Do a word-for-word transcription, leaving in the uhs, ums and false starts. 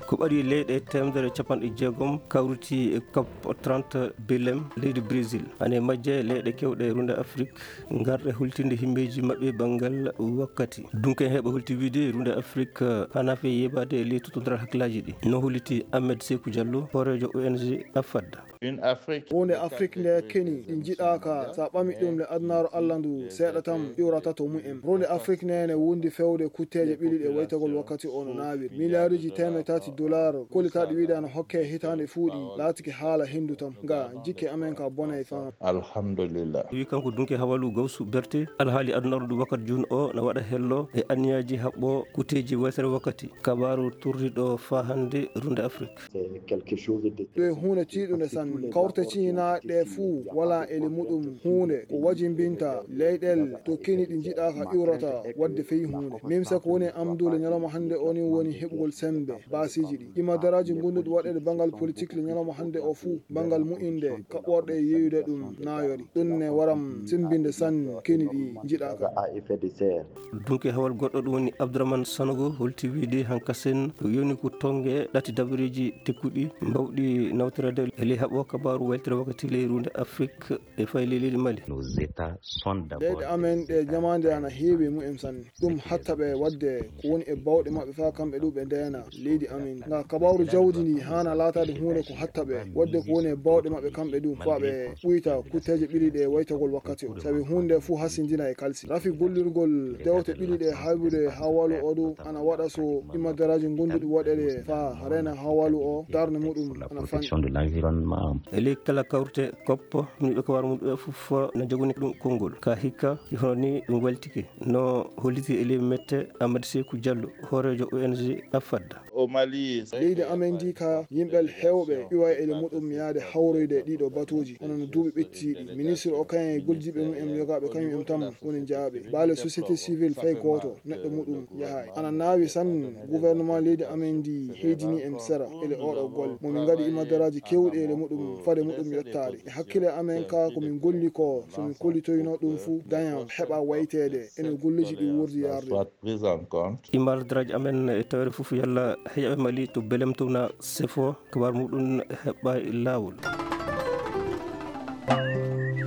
Ko ɓaɗi leyɗe teemedere capanɗe jeegom kawriti e cop trente Belem leydi Brésil. Hane majje leyɗe kewɗe e runde Afrik ngarɗe hultinde himmeeji maɓɓe banngal wakkati. Dunke heɓa hulti wiide runde Afrik hana fe yeɓaade e ley totondira hakkillaaji ɗi. No holliti Ahmed Sekou Diallo, hooreejo O N G Afad. Huunde Afrik nde keni ɗi njiɗaaka, so a ɓami ɗum le adunaaru Allah ndu seeɗa tan iwrata to mumen. Runde Afrik nde ne wundi fewde kutteeje ɓili ɗe waytagol wakkati o no naawiri. Miliyaaruuji teemeɗe tati dolaar kollitaaɗi wiide ana hokke hitaande fuuɗi laatike haala henndu tan. Nga jikke amen ka bonay faa. Alhamdulillah. Wi kanko dunke hawalu gawsu berte alhaali adunaaru ndu wakkati jun o na waɗa hello e anniyaaji haɓɓo kutteeji waytere wakkati. Kabaaru turriɗo faa hannde runde Afrik. Ɗo e huunde tiiɗunde sanne. Kawte ciñinaaɗe ɗe fuu walaa ele muɗum huunde ko wajimbinta leyɗel to keni ɗi njiɗaaka iwrata waɗde fey huunde. Mimsa ko woni e am ndu le ñalawma hannde o ni woni heɓugol semmbe baasiiji ɗi. Imadaraaji ngonduɗi waɗeede banngal politik le ñalawma hannde o fuu banngal mu'inde kaɓɓorɗe e yeeyude ɗum naayori. Ɗum ne waram semmbinde sanne keni ɗi njiɗaaka. Dunke hawal goɗɗo ɗum woni Abdourahmane Sanogo holti wiide hankasen ko yoni ko tonge ɗati dabareeji tekkuɗi mbawɗi nawtoreede e ley haɓo kabaaru weltere wakkati ley runde Afrik e fay ley leydi Mali. Leyɗe amen ɗe jamaande ana heewi e mumen sanne. Ɗum hatta ɓe waɗde ko woni e bawɗe maɓɓe faa kamɓe ɗu ɓe ndeena leydi amen. Nga kabaaru jawdi ndi haana laataade huunde ko hatta ɓe waɗde ko woni e bawɗe maɓɓe kamɓe ɗu faa ɓe ɓuyta kutteeje ɓili ɗe waytagol wakkati o. Sabi huunde fuu hasindina e kalsi. Rafi gollirgol dewte ɓili ɗe haybude haa walu o ɗu ana waɗa so imadaraaji ngonduɗi waɗeede faa reena haa walu o darnde muɗum ana fanɗi. E ley kala kawrite koppo, miɓe ko wara mum ɓe fof na jogani ɗum konngol. Ka hikka, hono ni ɗum waltike. No holliti e ley mette Amadou Sekou Diallo, hooreejo O N G Afad. Leydi amen ndi ka yimɓe heewɓe iwa ele muɗum yaade hawroyde ɗiɗo batuuji, hono no duuɓi ɓettiiɗi. Ministre o kayen e gollidiiɓe mum en yogaaɓe kañum en tan woni jaaɓe. Baale société civile fay gooto neɗɗo muɗum yahaay. Ana naawi sanne gouvernement leydi amen ndi heydini en sera ele oɗo golle. Mo min ngaɗi imadaraaji keewɗi ele muɗum fade muɗum yottaade. E hakkille amen ka ko min golli ko so min kollitoyno ɗum fuu daña heɓa wayteede ene golluji ɗi wuurdi yarde. Imadaraaji amen e tawere fof yalla heƴaɓe Mali to belem towna sefo kabar muɗum heɓɓa e laawol.